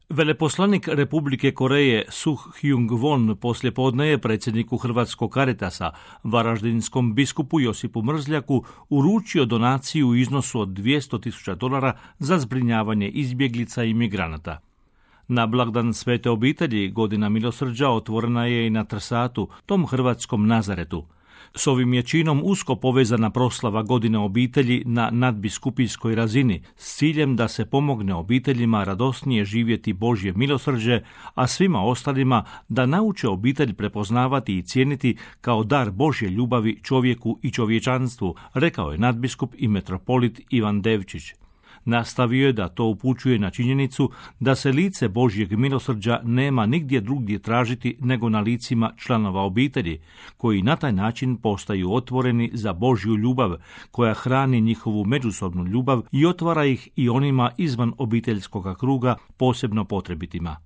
Veleposlanik Republike Koreje Suh Hyung Won poslijepodne je predsjedniku Hrvatskog Caritasa, varaždinskom biskupu Josipu Mrzljaku, uručio donaciju u iznosu od $200.000 za zbrinjavanje izbjeglica i migranata. Na blagdan Svete obitelji Godina milosrđa otvorena je i na Trsatu, tom hrvatskom Nazaretu. S ovim je činom usko povezana proslava Godine obitelji na nadbiskupijskoj razini s ciljem da se pomogne obiteljima radosnije živjeti Božje milosrđe, a svima ostalima da nauče obitelj prepoznavati i cijeniti kao dar Božje ljubavi čovjeku i čovječanstvu, rekao je nadbiskup i metropolit Ivan Devčić. Nastavio je da to upućuje na činjenicu da se lice Božjeg milosrđa nema nigdje drugdje tražiti nego na licima članova obitelji, koji na taj način postaju otvoreni za Božju ljubav, koja hrani njihovu međusobnu ljubav i otvara ih i onima izvan obiteljskoga kruga, posebno potrebitima.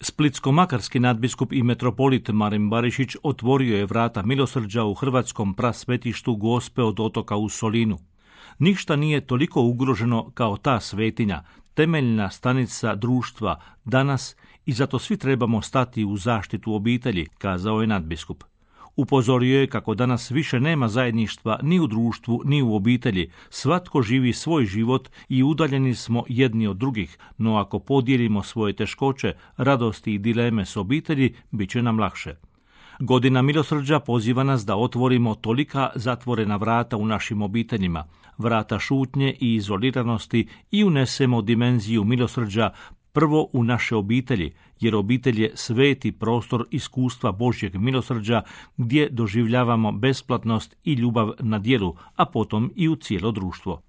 Splitsko-makarski nadbiskup i metropolit Marin Barišić otvorio je vrata milosrđa u hrvatskom prasvetištu Gospe od otoka u Solinu. Ništa nije toliko ugroženo kao ta svetinja, temeljna stanica društva danas, i zato svi trebamo stati u zaštitu obitelji, kazao je nadbiskup. Upozorio je kako danas više nema zajedništva ni u društvu ni u obitelji, svatko živi svoj život i udaljeni smo jedni od drugih, no ako podijelimo svoje teškoće, radosti i dileme s obitelji, bit će nam lakše. Godina milosrđa poziva nas da otvorimo tolika zatvorena vrata u našim obiteljima, vrata šutnje i izoliranosti, i unesemo dimenziju milosrđa prvo u naše obitelji, jer obitelj je sveti prostor iskustva Božjeg milosrđa gdje doživljavamo besplatnost i ljubav na djelu, a potom i u cijelo društvo.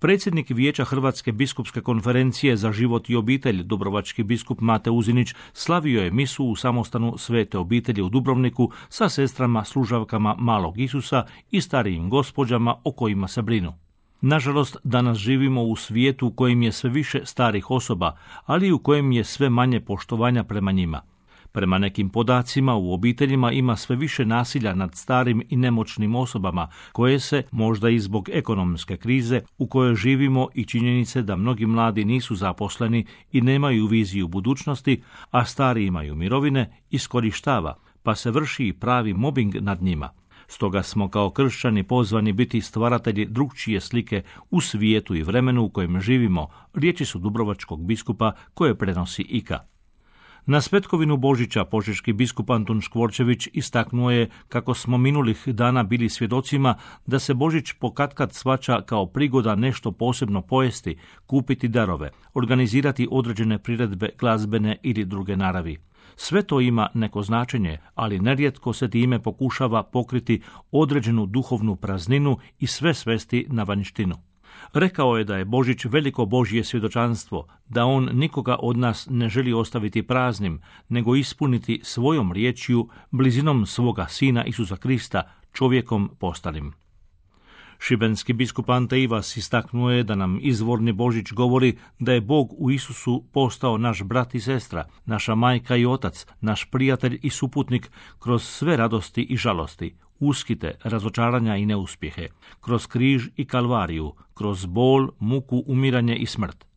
Predsjednik Vijeća Hrvatske biskupske konferencije za život i obitelj, dubrovački biskup Mate Uzinić, slavio je misu u samostanu Svete obitelji u Dubrovniku sa sestrama služavkama Malog Isusa i starijim gospođama o kojima se brinu. Nažalost, danas živimo u svijetu u kojem je sve više starih osoba, ali i u kojem je sve manje poštovanja prema njima. Prema nekim podacima, u obiteljima ima sve više nasilja nad starim i nemoćnim osobama, koje se, možda i zbog ekonomske krize u kojoj živimo i činjenice da mnogi mladi nisu zaposleni i nemaju viziju budućnosti, a stari imaju mirovine, iskorištava, pa se vrši i pravi mobing nad njima. Stoga smo kao kršćani pozvani biti stvaratelji drukčije slike u svijetu i vremenu u kojem živimo, riječi su dubrovačkog biskupa koje prenosi IKA. Na Svetkovinu Božića požeški biskup Antun Škvorčević istaknuo je kako smo minulih dana bili svjedocima da se Božić pokatkad shvaća kao prigoda nešto posebno pojesti, kupiti darove, organizirati određene priredbe glazbene ili druge naravi. Sve to ima neko značenje, ali nerijetko se time pokušava pokriti određenu duhovnu prazninu i sve svesti na vanjštinu. Rekao je da je Božić veliko Božje svjedočanstvo, da on nikoga od nas ne želi ostaviti praznim, nego ispuniti svojom riječju, blizinom svoga Sina Isusa Krista, čovjekom postalim. Šibenski biskup Ante Ivas istaknuo je da nam izvorni Božić govori da je Bog u Isusu postao naš brat i sestra, naša majka i otac, naš prijatelj i suputnik kroz sve radosti i žalosti, uskite, razočaranja i neuspjehe, kroz križ i kalvariju, kroz bol, muku, umiranje i smrt.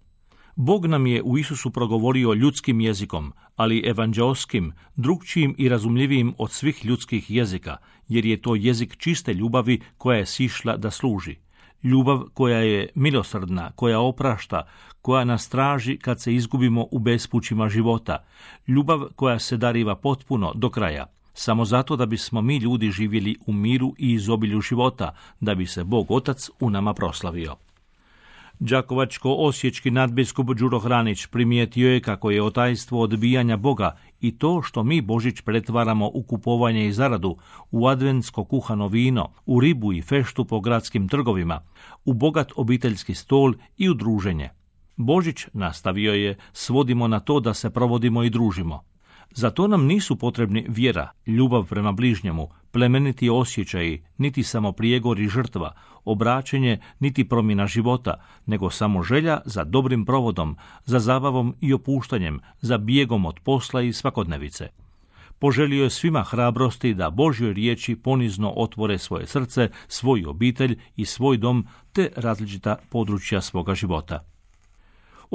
Bog nam je u Isusu progovorio ljudskim jezikom, ali evanđeoskim, drukčijim i razumljivijim od svih ljudskih jezika, jer je to jezik čiste ljubavi koja je sišla da služi. Ljubav koja je milosrdna, koja oprašta, koja nas traži kad se izgubimo u bespućima života. Ljubav koja se dariva potpuno do kraja, samo zato da bismo mi ljudi živjeli u miru i izobilju života, da bi se Bog Otac u nama proslavio. Đakovačko-osječki nadbiskup Đuro Hranić primijetio je kako je otajstvo odbijanja Boga i to što mi Božić pretvaramo u kupovanje i zaradu, u adventsko kuhano vino, u ribu i feštu po gradskim trgovima, u bogat obiteljski stol i u druženje. Božić, nastavio je, svodimo na to da se provodimo i družimo. Za to nam nisu potrebni vjera, ljubav prema bližnjemu, plemeniti osjećaji, niti samo prijegor i žrtva, obraćenje, niti promjena života, nego samo želja za dobrim provodom, za zabavom i opuštanjem, za bijegom od posla i svakodnevice. Poželio je svima hrabrosti da Božjoj riječi ponizno otvore svoje srce, svoju obitelj i svoj dom te različita područja svoga života.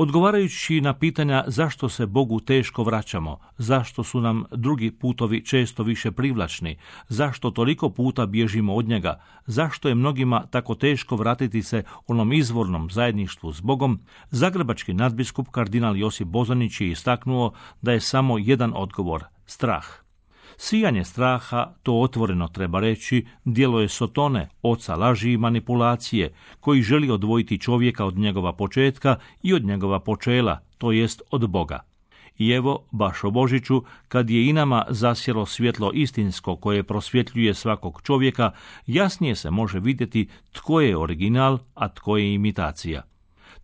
Odgovarajući na pitanja zašto se Bogu teško vraćamo, zašto su nam drugi putovi često više privlačni, zašto toliko puta bježimo od njega, zašto je mnogima tako teško vratiti se onom izvornom zajedništvu s Bogom, zagrebački nadbiskup kardinal Josip Bozanić je istaknuo da je samo jedan odgovor – strah. Sijanje straha, to otvoreno treba reći, djelo je Sotone, oca laži i manipulacije, koji želi odvojiti čovjeka od njegova početka i od njegova počela, to jest od Boga. I evo, baš o Božiću, kad je i nama zasjelo svjetlo istinsko koje prosvjetljuje svakog čovjeka, jasnije se može vidjeti tko je original, a tko je imitacija.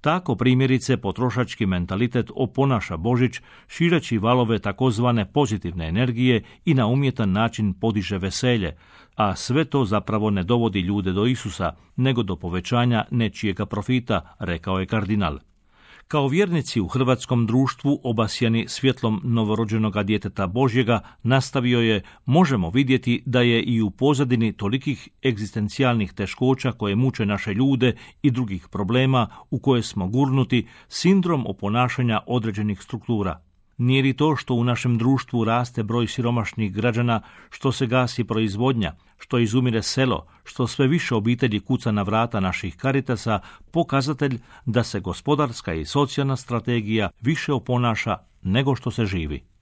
Tako primjerice potrošački mentalitet oponaša Božić, šireći valove takozvane pozitivne energije i na umjetan način podiže veselje, a sve to zapravo ne dovodi ljude do Isusa, nego do povećanja nečijega profita, rekao je kardinal. Kao vjernici u hrvatskom društvu obasjani svjetlom novorođenoga djeteta Božjega, nastavio je, možemo vidjeti da je i u pozadini tolikih egzistencijalnih teškoća koje muče naše ljude i drugih problema u koje smo gurnuti sindrom oponašanja određenih struktura. Nije li to što u našem društvu raste broj siromašnih građana, što se gasi proizvodnja, što izumire selo, što sve više obitelji kuca na vrata naših Caritasa, pokazatelj da se gospodarska i socijalna strategija više oponaša nego što se živi?